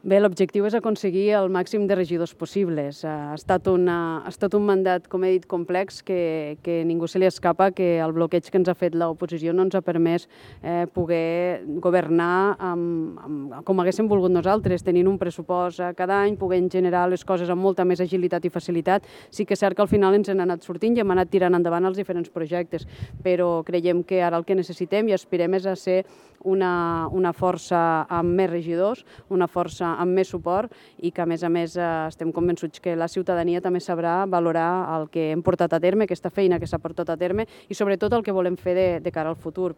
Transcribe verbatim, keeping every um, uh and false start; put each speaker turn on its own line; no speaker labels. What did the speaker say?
Bé, l'objectiu és aconseguir el màxim de regidors possibles. Ha estat, una, ha estat un mandat, com he dit, complex, que, que ningú se li escapa, que el bloqueig que ens ha fet l'oposició no ens ha permès eh, poder governar amb, amb, com haguéssim volgut nosaltres, tenint un pressupost cada any, podent generar les coses amb molta més agilitat i facilitat. Sí que és cert que al final ens n'han anat sortint i hem anat tirant endavant els diferents projectes, però creiem que ara el que necessitem i aspirem és a ser una, una força amb més regidors, una força amb més suport i que, a més a més, estem convençuts que la ciutadania també sabrà valorar el que hem portat a terme, aquesta feina que s'ha portat a terme i, sobretot, el que volem fer de, de cara al futur.